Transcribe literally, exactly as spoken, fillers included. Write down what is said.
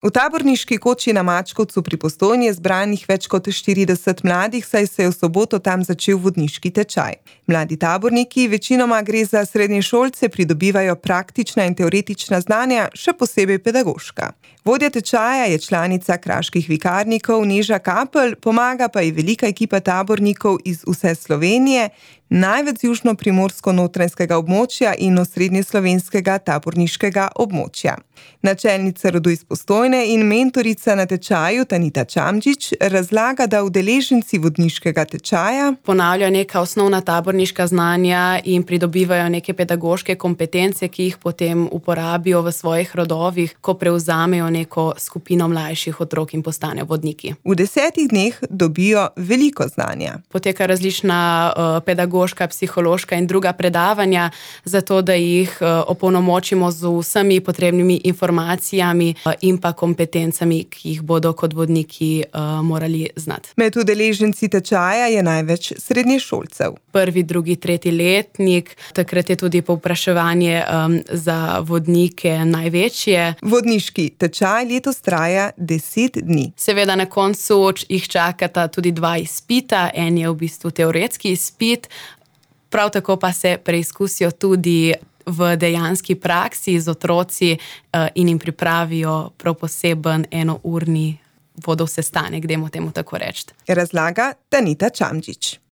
V taborniški koči na Mačkovcu pri Postojni je zbranih več kot štirideset mladih, saj se je v soboto tam začel vodniški tečaj. Mladi taborniki, večinoma gre za srednješolce, pridobivajo praktična in teoretična znanja, še posebej pedagoška. Vodja tečaja je članica kraških vikarnikov Neža Kapelj, pomaga pa ji velika ekipa tabornikov iz vse Slovenije, največ z južno-primorsko-notranjskega območja in osrednjeslovenskega taborniškega območja. Načelnica rodu iz Postojne in mentorica na tečaju Tanita Čamdžić razlaga, da udeleženci vodniškega tečaja ponavljajo neka osnovna taborniška znanja in pridobivajo neke pedagoške kompetence, ki jih potem uporabijo v svojih rodovih, ko prevzamejo neko skupino mlajših otrok in postanejo vodniki. V desetih dneh dobijo veliko znanja. Poteka različna uh, pedagoška, psihološka in druga predavanja, zato da jih uh, opolnomočimo z vsemi potrebnimi informacijami uh, in pa kompetencami, ki jih bodo kot vodniki uh, morali znati. Med udeleženci tečaja je največ srednješolcev. Prvi, drugi, tretji letnik, takrat je tudi povpraševanje um, za vodnike največje. Vodniški tečaj letos traja deset dni. Seveda na koncu jih čakata tudi dva izpita, en je v bistvu teoretski izpit, prav tako pa se preizkusijo tudi v dejanski praksi z otroci uh, in jim pripravijo prav poseben enourni vodov sestanek, dajmo temu tako reči. Razlaga Tanita Čamdžić.